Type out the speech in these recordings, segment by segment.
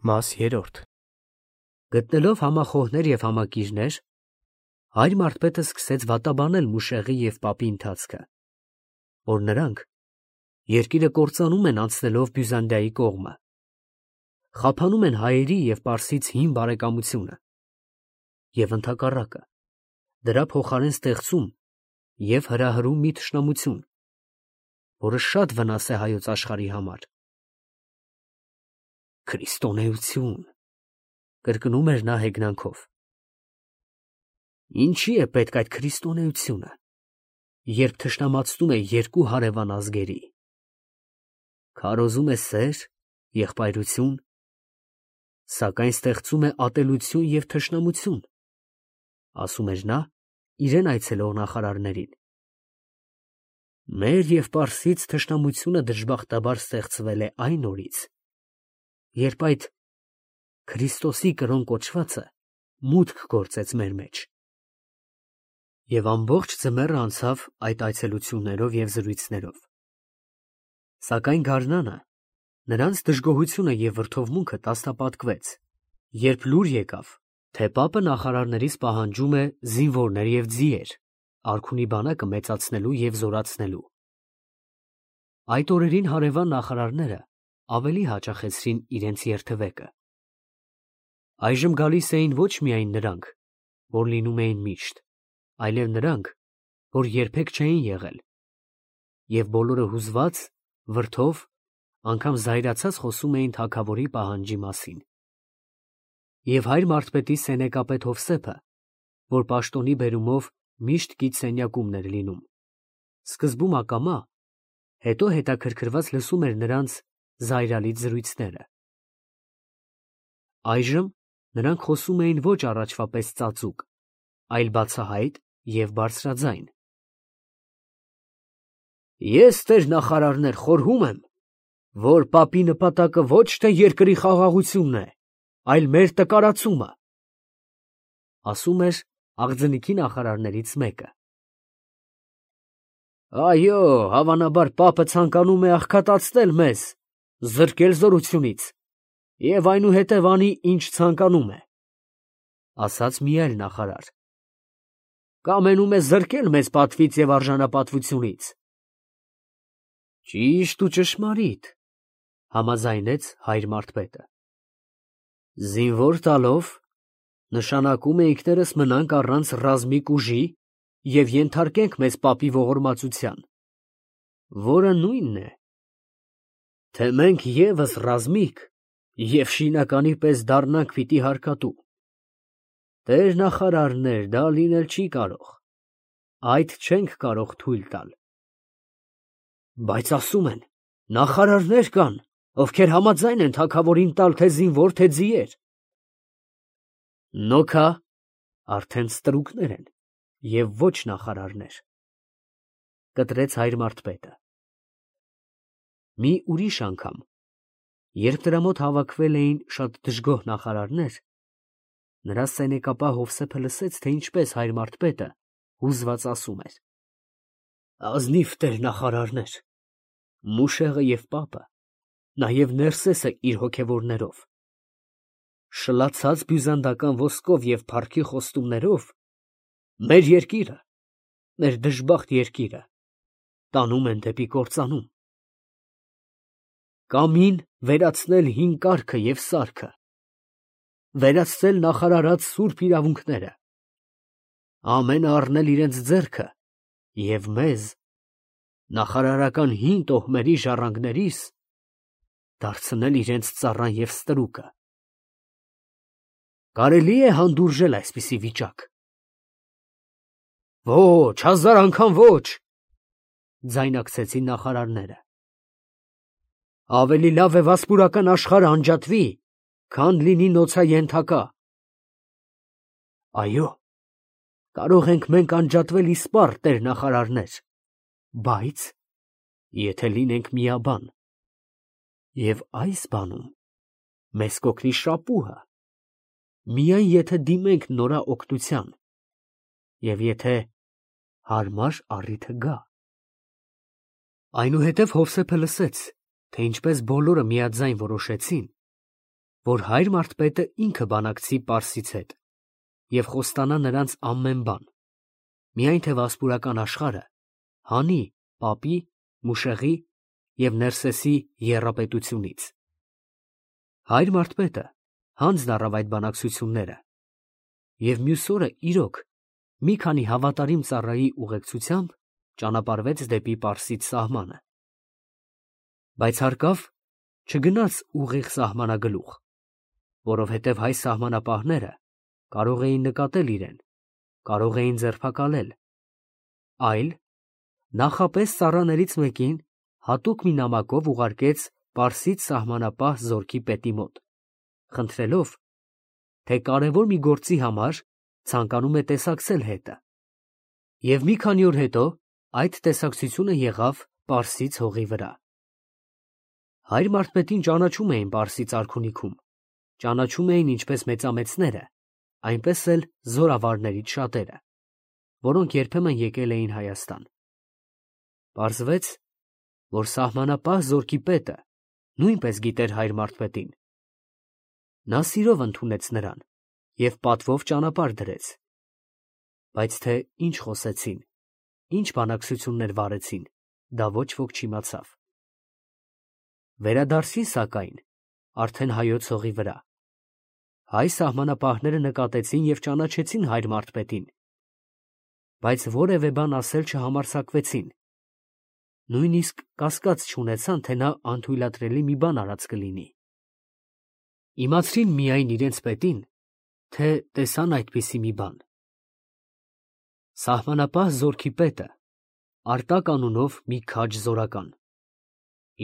Մաս 3 Գտնելով համախոհներ և համակիրներ, հայր Մարդպետը սկսեց վատաբանել Մուշեղի և պապի ընթացքը, որ նրանք երկիրը կործանում են անցնելով Բյուզանդիայի կողմը, խափանում են հայերի և պարսից հին բարեկամությունը և ընդհակառակը, դրա փոխարեն ստեղծում և հրահրում մի թշնամություն, որը շատ վնաս է հայոց աշխարհի համար։ Քրիստոնեություն, կրկնում էր նա հեգնանքով։ Ինչի է պետք այդ քրիստոնեությունը, երբ թշնամացնում է երկու հարևան ազգերի, քարոզում է սեր, եղբայրություն, սակայն ստեղծում է ատելություն և թշնամություն, ասում էր նա իրեն այցելող նախարարներին։ Մեր և պարսից թշնամությունը դժբախտաբար ստեղծվել է այն օրից, երբ այդ Քրիստոսի կրոն կոչվածը մուտք գործեց մեր մեջ։ Եվ ամբողջ ձմեռը անցավ այդ այցելություններով և զրույցներով։ Սակայն գարնանը նրանց դժգոհությունը և վրդովմունքը տասնապատկվեց, երբ լուր եկավ, թե պապը նախարարներից պահանջում է զինվորներ և ձիեր արքունի բանակը մեծացնելու և զորացնելու։ Այդ օրերին հարևան նախարարները ավելի հաճախեցրին իրենց երթևեկը։ Այժմ գալիս էին ոչ միայն նրանք, որ լինում էին միշտ, այլև նրանք, որ երբեք չէին եղել, և բոլորը հուզված, վրդով, անգամ զայրացած խոսում էին թագավորի պահանջի մասին։ Եվ հայր Մարդպետի սենեկապետ Հովսեփը, որ պաշտոնի բերումով միշտ գիտսենյակումն էր լինում, սկզբում ակամա, հետո հետաքրքրված լսում էր նրանց զայրալից զրույցները։ Այժմ նրանք խոսում էին ոչ առաջվա պես ծածուկ, այլ բացահայտ և բարձրաձայն։ Ես, տեր նախարարներ, խորհում եմ, որ պապի նպատակը ոչ թե երկրի խաղաղությունն է, այլ մեր տկարացումը, ասում էր աղձնիքի նախարարներից մեկը։ Այո, հավանաբար պապը ցանկանում է աղքատացնել մեզ, զրկել զորությունից և այնուհետև անի, ինչ ցանկանում է, ասաց մի այլ նախարար։ Կամենում է զրկել մեզ պատվից և արժանապատվությունից։ Ճիշտ ու ճշմարիտ, համաձայնեց հայր Մարդպետը։ Զինվոր տալով նշանակում է ինքներս մնանք առանց ռազմիկ ուժի և ենթարկենք մեզ պապի ողորմածության, որը նույնն է, թե մենք ևս ռազմիկ և շինականի պես դառնանք պիտի հարկատու։ Տեր նախարարներ, դա լինել չի կարող, այդ չենք կարող թույլ տալ։ Բայց ասում են, նախարարներ կան, ովքեր համաձայն են թագավորին տալ թե զինվոր, թե ձիեր։ Նոքա, արդեն ստրուկներ են և ոչ նախարարներ, կտրեց հայր Մարդպետը։ Մի ուրիշ անգամ, երբ նրա մոտ հավաքվել էին շատ դժգոհ նախարարներ, նրա սենեկապա Հովսեփը լսեց, թե ինչպես հայր Մարդպետը հուզված ասում էր. Ազնիվ տեր նախարարներ, Մուշեղը և պապը, նաև Ներսեսը իր հոգևորներով, շլացած բյուզանդական ոսկով և փառքի խոստումներով մեր երկիրը, մեր դժբախտ երկիրը, տանում են դեպի կործանում։ Կամին վերացնել հին կարգը և սարքը, վերացնել նախարարած սուրբ իրավունքները, ամենը առնել իրենց ձեռքը և մեզ, նախարարական հին տոհմերի ժառանգներիս, դարձնել իրենց ծառան և ստրուկը։ Կարելի է հանդուրժել այսպիսի վիճակ։ Ոչ, հազար անգամ ոչ, ձայնակցեցին նախարարները։ Ավելի լավ է վասպուրական աշխարհը անջատվի, քան լինի նոցաենթակա։ Այո, կարող ենք մենք անջատվել իսպառ, տեր նախարարներ, բայց եթե լինենք միաբան, և այս բանում մեզ կօգնի շապուհը, միայն եթե դիմենք նորաօգնության և եթե հարմար առիթը գա։ Այնուհետև Հովսեփը լսեց, թե ինչպես բոլորը միաձայն որոշեցին, որ հայր մարդպետը ինքը բանակցի Պարսից հետ և խոստանա նրանց ամեն բան, միայն թե վասպուրական աշխարհը հանի պապի, Մուշեղի և Ներսեսի եռապետությունից։ Հայր մարդպետը հանձն առավ այդ բանակցությունները և մյուս օրը իրոք մի քանի հավատարիմ ծառայի ուղեկցությամբ ճանապարհվեց դեպի Պարսից սահմանը, բայց հարկավ չգնաց ուղիղ սահմանագլուխ, որովհետև հայ սահմանապահները կարող էին նկատել իրեն, կարող էին ձերբակալել, այլ նախապես ծառաներից մեկին հատուկ մի նամակով ուղարկեց Պարսից սահմանապահ զորքի պետի մոտ, խնդրելով, թե կարևոր մի գործի համար ցանկանում է տեսակցել հետը, և մի քանի օր հետո այդ տեսակցությունը եղավ Պարսից հողի վրա։ Հայր մարդպետին ճանաչում էին Պարսից արքունիքում, ճանաչում էին ինչպես մեծամեծները, այնպես էլ զորավարներից շատերը, որոնք երբեմն եկել էին Հայաստան։ Պարզվեց, որ սահմանապահ զորքի պետը նույնպես գիտեր հայր մարդպետին։ Նա սիրով ընդունեց նրան և պատվով ճանապարհ դրեց, բայց թե ինչ խոսեցին, ինչ բանակցություններ վարեցին, դա ոչ ոք չիմացավ։ Վերադարձին, սակայն, արդեն հայոց հողի վրա, հայ սահմանապահները նկատեցին և ճանաչեցին հայր մարդպետին, բայց որևէ բան ասել չհամարձակվեցին, նույնիսկ կասկած չունեցան, թե նա անթույլատրելի մի բան արած կլինի։ Իմացրին միայն իրենց պետին, թե տեսան այդպիսի մի բան։ Սահմանապահ զորքի պետը Արտակ անունով մի քաջ զորական,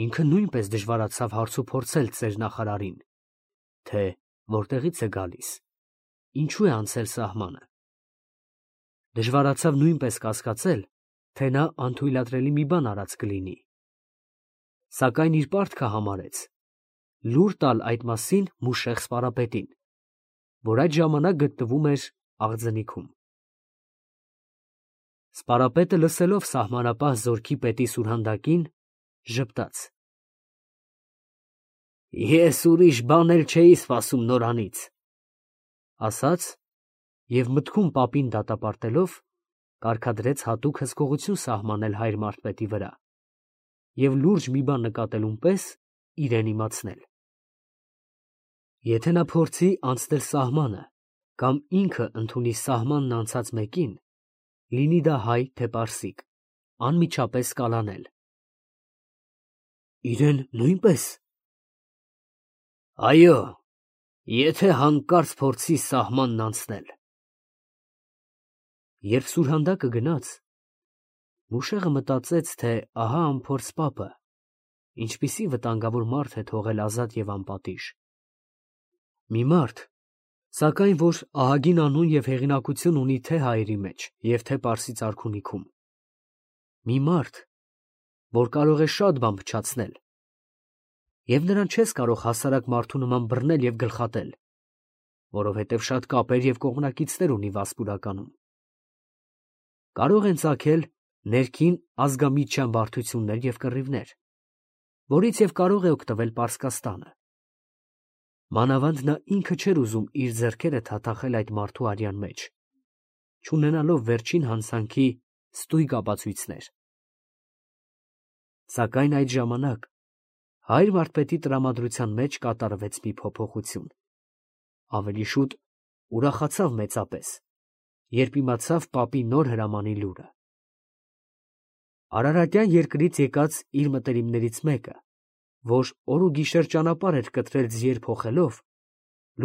ինքը նույնպես դժվարացավ հարցուփորձել ծեր նախարարին, թե որտեղից է գալիս, ինչու է անցել սահմանը։ Դժվարացավ նույնպես կասկածել, թե նա անթույլատրելի մի բան արած կլինի, սակայն իր պարտքը համարեց լուր տալ այդ մասին Մուշեղ սպարապետին, որ այդ ժամանակ գտնվում էր Աղձնիքում։ Սպարապետը, լսելով սահմանապահ զորքի պետի սուրհանդակին, ժպտաց. «Ես ուրիշ բան էլ չէի սպասում նորանից», ասաց և մտքում պապին դատապարտելով, կարգադրեց հատուկ հսկողություն սահմանել հայր մարդպետի վրա և լուրջ մի բան նկատելուն պես իրեն իմացնել։ Եթե նա փորձի անցնել սահմանը կամ ինքը ընդունի սահմանն անցած մեկին, լինի դա հայ, թե պարսիկ, անմիջապես կալանել։ Իրեն նույնպե՞ս։ Այո, եթե հանկարծ փորձի սահմանն անցնել։ Երբ սուրհանդակը գնաց, Մուշեղը մտածեց, թե ահա անփորձ պապը ինչպիսի վտանգավոր մարդ է թողել ազատ և անպատիժ։ Մի մարդ, սակայն, որ ահագին անուն և հեղինակություն ունի թե հայերի մեջ և թե Պարսից արքունիքում։ Մի մարդ, որ կարող է շատ բան փչացնել, և նրան չես կարող հասարակ մարդու նման բռնել և գլխատել, որովհետև շատ կապեր և կողմնակիցներ ունի Վասպուրականում։ Կարող են ծագել ներքին ազգամիջյան բարդություններ և կռիվներ, որից և կարող է օգտվել Պարսկաստանը։ Մանավանդ նա ինքը չէր ուզում իր ձեռքերը թաթախել այդ մարդու արյան մեջ, չունենալով վերջին հանցանքի ստույգ ապացույցներ։ Սակայն այդ ժամանակ հայր վարդպետի տրամադրության մեջ կատարվեց մի փոփոխություն, ավելի շուտ ուրախացավ մեծապես, երբ իմացավ պապի նոր հրամանի լուրը։ Արարատյան երկրից եկած իր մտերիմներից մեկը, որ օր ու գիշեր ճանապարհ էր կտրել ձիեր փոխելով,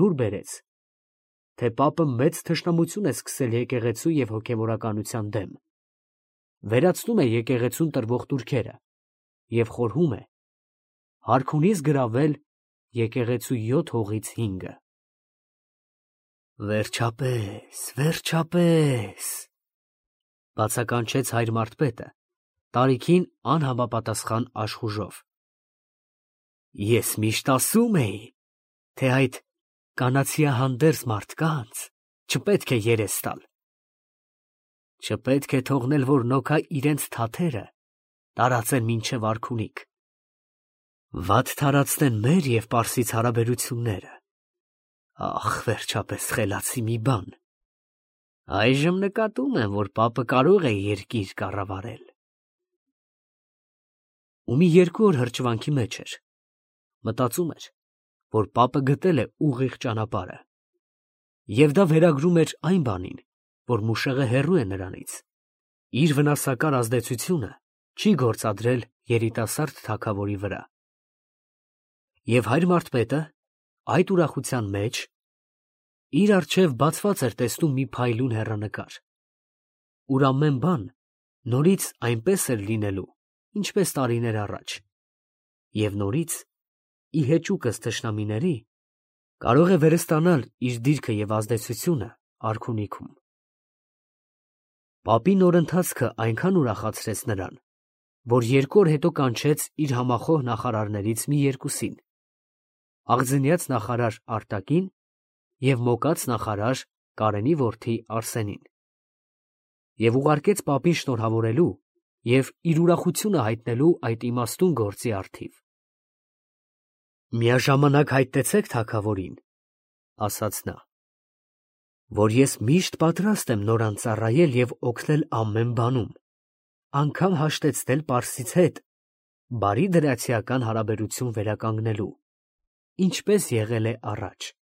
լուր բերեց, թե պապը մեծ թշնամություն է սկսել եկեղեցու և հոգևորականության դեմ, վերացնում է եկեղեցուն տրվող տուրքերը և խորհում է հարքունից գրավել եկեղեցու 7 հողից 5-ը։ Վերջապես, վերջապես, բացականչեց հայր մարդպետը, տարիքին անհամապատասխան աշխուժով։ Ես միշտ ասում էի, թե այդ կանացիահանդերձ մարդկանց չպետք է երես տալ։ Չպետք է թողնել, որ նոքա իրենց թաթերը տարածեն մինչև արքունիք, վատ թարացնեն մեր և Պարսից հարաբերությունները, Ախ, վերջապես խելացի մի բան։ Այժմ նկատում եմ, որ պապը կարող է երկիր կառավարել։ Ու մի 2 օր հրճվանքի մեջ էր։ Մտածում էր, որ պապը գտել է ուղիղ ճանապարհը։ Եվ դա վերագրում էր այն բանին, որ Մուշեղը հեռու է նրանից։ Իր վնասակար ազդեցությունը չի գործադրել երիտասարդ թագավորի վրա։ Եվ հայր Մարթպետը այդ ուրախության մեջ իր առջև բացված էր տեսնում մի փայլուն հեռանկար, ուր ամեն բան նորից այնպես էր լինելու, ինչպես տարիներ առաջ, և նորից ի հեճուկս թշնամիների կարող է վերստանալ իր դիրքը և ազդեցությունը արքունիքում։ Պապի նոր ընթացքը այնքան ուրախացրեց նրան, որ 2 օր հետո կանչեց իր համախոհ նախարարներից մի 2-ին. աղձնյաց նախարար Արտակին և մոկած նախարար Կարենի որդի Արսենին, և ուղարկեց պապին շնորհավորելու և իր ուրախությունը հայտնելու այդ իմաստուն գործի առթիվ։ «Միաժամանակ հայտնեցեք թագավորին, ֊ ասաց նա, ֊ որ ես միշտ պատրաստ եմ նորան ծառայել և օգնել ամեն բանում, անգամ հաշտեցնել պարսից հետ բարի դրացիական հարաբերություն վերականգնելու, ինչպես եղել է առաջ»։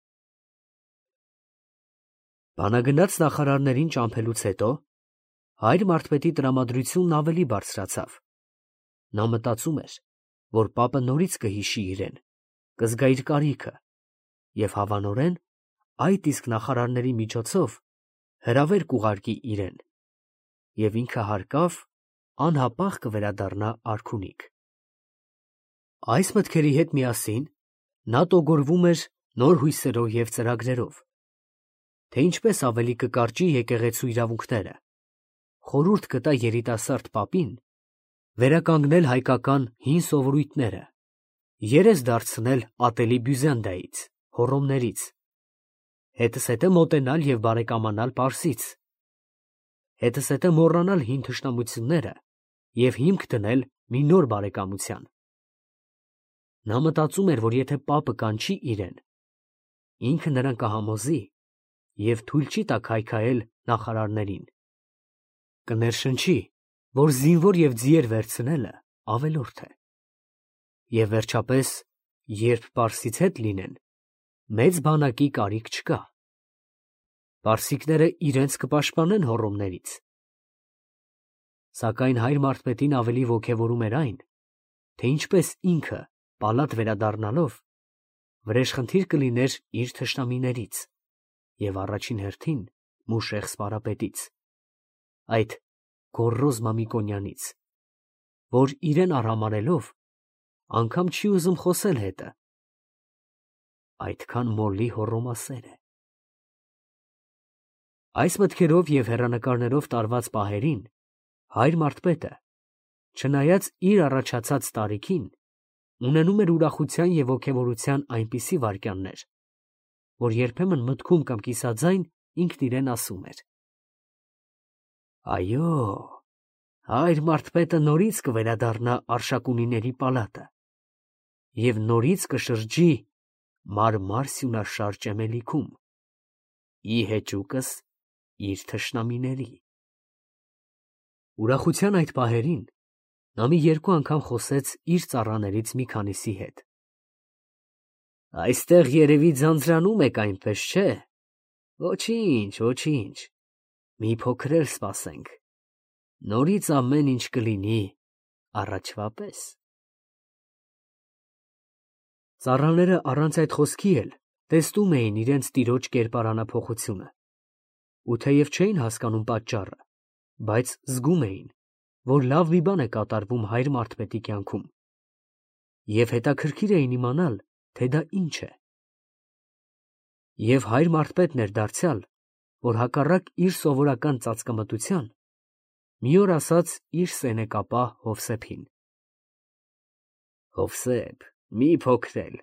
Բանագնաց նախարարներին ճամփելուց հետո հայր Մարթպետի տրամադրությունն ավելի բարձրացավ։ Նա մտածում էր, որ պապը նորից կհիշի իրեն, կզգա իր կարիքը և հավանորեն այդ իսկ նախարարների միջոցով հրավեր կուղարկի իրեն, և ինքը հարկավ անհապաղ կվերադառնա արքունիք։ Այս մտքերի հետ միասին նա տոգորվում էր նոր հույսերով և ծրագրերով, թե ինչպես ավելի կկարճի եկեղեցու իրավունքները, խորհուրդ կտա երիտասարդ պապին վերականգնել հայկական հին սովորույթները, երես դարձնել ատելի Բյուզանդիայից, Հոռոմներից, հետզհետե մոտենալ և բարեկամանալ Պարսից, հետզհետե մոռանալ հին թշնամությունները և հիմք դնել մի նոր բարեկամության։ Նա մտածում էր, որ եթե պապը կանչի իրեն, ինքը նրան կհամոզի և թույլ չի տա քայքայել նախարարներին, կներշնչի, որ զինվոր և ձիեր վերցնելը ավելորդ է, և վերջապես, երբ Պարսից հետ լինեն, մեծ բանակի կարիք չկա։ Պարսիկները իրենց կպաշտպանեն հոռոմներից։ Սակայն հայր Մարթպետին ավելի ոգևորում էր այն, թե ինչպես ինքը պալատ վերադառնալով վրեժխնդիր կլիներ իր թշնամիներից և առաջին հերթին Մուշեղ սպարապետից, այդ գոռոզ Մամիկոնյանից, որ իրեն արհամարհելով անգամ չի ուզում խոսել հետը, այդքան մոլի հոռոմասեր է։ Այս մտքերով և հեռանկարներով տարված պահերին հայր Մարթպետը, չնայած իր առաջացած տարիքին, ունենում էր ուրախության և ոգևորության այնպիսի վայրկյաններ, որ երբեմն մտքում կամ կիսաձայն ինքն իրեն ասում էր. «Այո, հայր Մարթպետը նորից կվերադառնա Արշակունիների պալատը և նորից կշրջի մարմար սյունաշար ճեմելիքում, ի հեճուկս իր թշնամիների»։ Ուրախության այդ պահերին նա մի 2 անգամ խոսեց իր ծառաներից մի քանիսի հետ։ «Այստեղ երևի ձանձրանում եք այնպես, չէ՞։ Ոչինչ, ոչինչ, մի փոքր էլ սպասենք, նորից ամեն ինչ կլինի առաջվա պես»։ Ծառաները առանց այդ խոսքի էլ տեսնում էին իրենց տիրոջ կերպարանափոխությունը, ու թեև չէին հասկանում պատճառը, բայց զգում էին, որ լավ մի բան է կատարվում հայր Մարթպետի կյանքում, և հետաքրքիր էին իմանալ, թե դա ինչ է։ Եվ հայր Մարթպետն էր դարձյալ, որ հակառակ իր սովորական ծածկամտության, մի օր ասաց իր սենեկապա Հովսեփին. «Հովսեփ, մի փոքրել,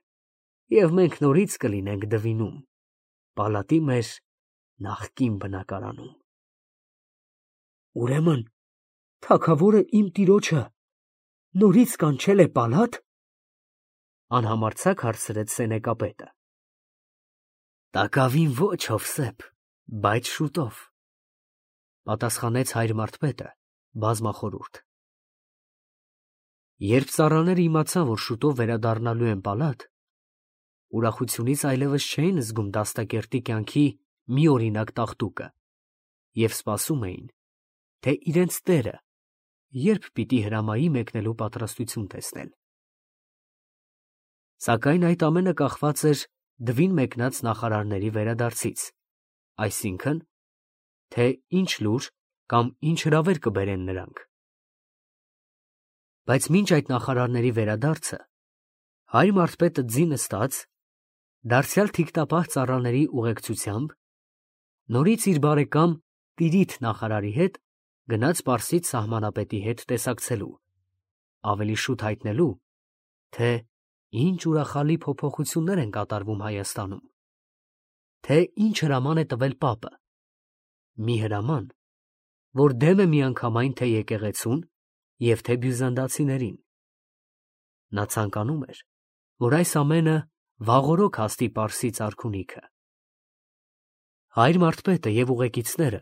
և մենք նորից կլինենք Դվինում, պալատի մեր նախկին բնակարանում»։ «Ուրեմն թագավորը իմ տիրոջը նորից կանչել է պալա՞տ, ֊ անհամարձակ հարցրեց սենեկապետը։ Տակավին ոչ, Հովսեփ, բայց շուտով, պատասխանեց հայր Մարտպետը բազմախորհուրդ։ Երբ ծառաները իմացան, որ շուտով վերադառնալու են պալատ, ուրախությունից այլևս չէին զգում դաստակերտի կյանքի մի օրինակ տաղտուկը և սպասում էին, թե իրենց տերը երբ պիտի հրամայի մեկնելու պատրաստություն տեսնել։ Սակայն այդ ամենը կախված էր դվին մեկնած նախարարների վերադարձից, այսինքն, թե ինչ լուր կամ ինչ հրավեր կբերեն նրանք։ Բայց մինչ այդ նախարարների վերադարձը, հայր Մարտպետը ձի նստած, դարձյալ թիկտապահ ծառաների ուղեկցությամբ, նորից իր բարեկամ Տիրիթ նախարարի հետ գնաց Պարսից սահմանապետի հետ տեսակցելու, ավելի շուտ հայտնելու, թե ինչ ուրախալի փոփոխություններ են կատարվում Հայաստանում, թե ինչ հրաման է տվել պապը, մի հրաման, որ դեմ է միանգամայն թե եկեղեցուն և թե բյուզանդացիներին։ Նա ցանկանում էր, որ այս ամենը վաղօրոք հասնի Պարսից արքունիքը։ Հայր Մարտպետը և ուղեկիցները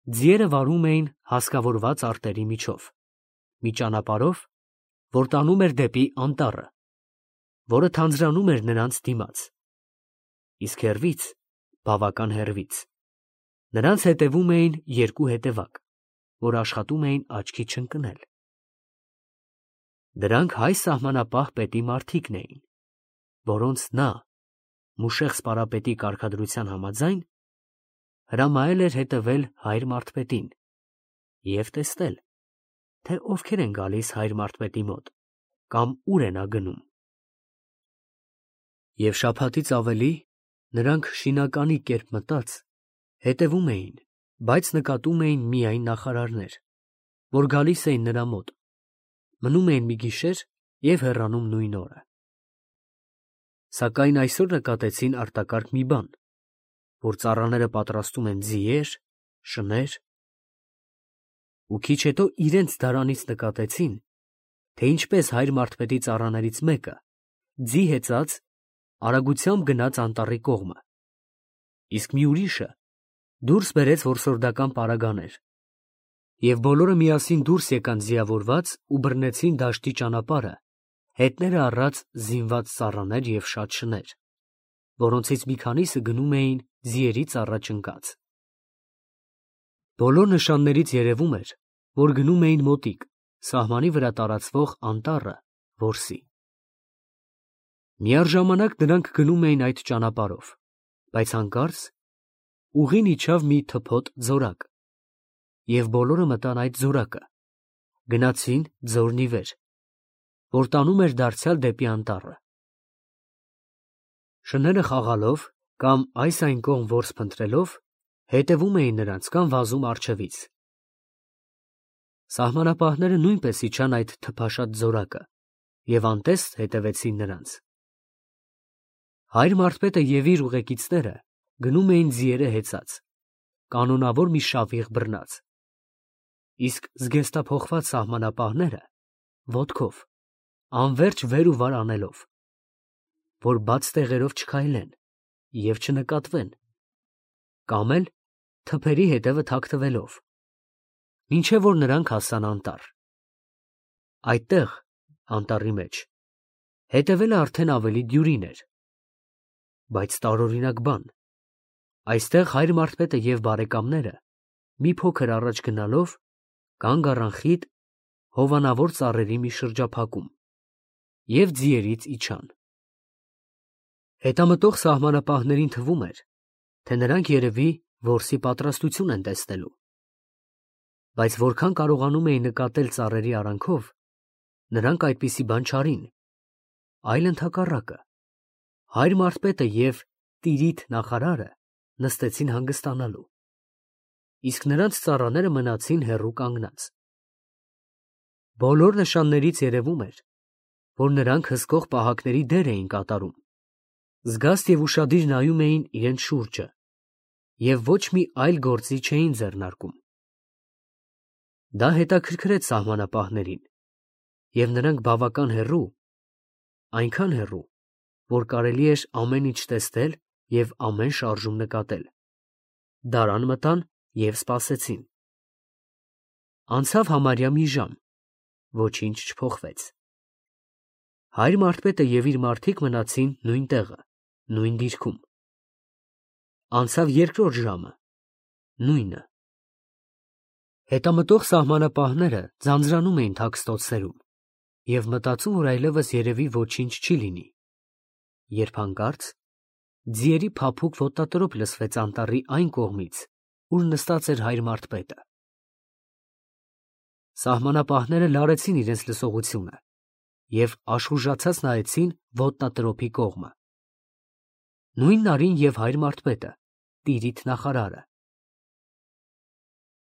ձիերը վարում էին հասկավորված արտերի միջով, մի ճանապարհով, որ տանում էր դեպի անտառը, որը թանձրանում էր նրանց դիմաց, իսկ հեռվից, բավական հեռվից, նրանց հետևում էին երկու հետևակ, որ աշխատում էին աչքի չընկնել։ Դրանք հայ սահմանապահ պետի մարդիկն էին, որոնց նա, Մուշեղ սպարապետի կարգադրության համաձայն, հրամայել էր հետևել հայր Մարտպետին և տեսնել, թե ովքեր են գալիս հայր Մարտպետի մոտ կամ ուր է նա գնում։ Եվ շաբաթից ավելի նրանք շինականի կերպ մտած հետևում էին, բայց նկատում էին միայն նախարարներ, որ գալիս էին նրա մոտ, մնում էին մի գիշեր և հեռանում նույն օրը։ Սակայն այսօր նկատեցին արտակարգ մի բան, որ ծառաները պատրաստում են ձիեր, շներ, ու քիչ հետո իրենց դարանից նկատեցին, թե ինչպես հայր Մարտպետի ծառաներից մեկը, ձի հեծած, արագությամբ գնաց անտառի կողմը, իսկ մի ուրիշը դուրս բերեց որսորդական պարագաներ, և բոլորը միասին դուրս եկան ձիավորված ու բռնեցին դաշտի ճանապարհը, հետները առած զինված ծառաներ և շատ շներ, որոնցից մի քանիսը գնում էին ձիերից առաջ ընկած։ Բոլոր նշաններից երևում էր, որ գնում էին մոտիկ, սահմանի վրա տարածվող անտառը որսի։ Միառժամանակ նրանք գնում էին այդ ճանապարհով, բայց հանկարծ ուղին իջավ մի թփոթ ձորակ, և բոլորը մտան այդ ձորակը, գնացին ձորն ի վեր, որ տանում էր դարձյալ դեպի անտառը։ Շները խաղալով կամ այս այն կողմ որս փնտրելով հետևում էին նրանց կամ վազում առջևից։ Սահմանապահները նույնպես իջան այդ թփաշատ ձորակը և անտեստ հետևեցին նրանց։ Հայր Մարտպետը և իր ուղեկիցները գնում էին ձիերը հեծած, կանոնավոր մի շավիղ բռնած, իսկ զգեստափոխված սահմանապահները ոտքով, անվերջ վեր ու վար անելով, որ բաց տեղերով չքայլեն և չնկատվեն, կամ էլ թփերի հետևը թաքցվելով, մինչև որ նրանք հասան անտառ։ Այդտեղ, անտառի մեջ, հետևելը արդեն ավելի դյուրին էր, բայց տարօրինակ բան, այստեղ հայր Մարտպետը և բարեկամները մի փոքր առաջ գնալով կանգ առան խիտ, հովանավոր ծառերի մի շրջափակում և ձիերից իջան։ Հետամտող սահմանապահներին թվում էր, թե նրանք երևի որսի պատրաստություն են տեսնելու, բայց որքան կարողանում էին նկատել ծառերի արանքով, նրանք այդպիսի բան չարին, այլ ընդհակառակը, հայր Մարտպետը և Տիրիթ նախարարը նստեցին հանգստանալու, իսկ նրանց ծառաները մնացին հեռու կանգնած։ Բոլոր նշաններից երևում էր, որ նրանք հսկող պահակների դեր էին կատարում, զգաստ և ուշադիր նայում էին իրենց շուրջը և ոչ մի այլ գործի չէին ձեռնարկում։ Դա հետաքրքրեց սահմանապահներին, և նրանք բավական հեռու, այնքան հեռու, որ կարելի էր ամեն ինչ տեսնել և ամեն շարժում նկատել։ Դարան մտան և սպասեցին։ Անցավ համարյա մի ժամ, ոչինչ չփոխվեց։ Հայր մարդպետը և իր մարդիկ մնացին նույն տեղը, նույն դիրքում։ Անցավ երկրորդ ժամը, նույնը։ Հետամտող սահմանապահները ձանձրանում էին թաքստոցներում և մտածում, որ այլևս երևի ոչինչ չի լինի, երբ հանկարծ ձիերի փափուկ ոտնատրոփ լսվեց անտառի այն կողմից, ուր նստած էր հայր մարդպետը։ Սահմանապահները լարեցին իրենց լսողությունը և աշխուժացած նայեցին ոտնատրոփի կողմը։ Նույն նարին և հայր մարդպետը, տիրիթ նախարարը,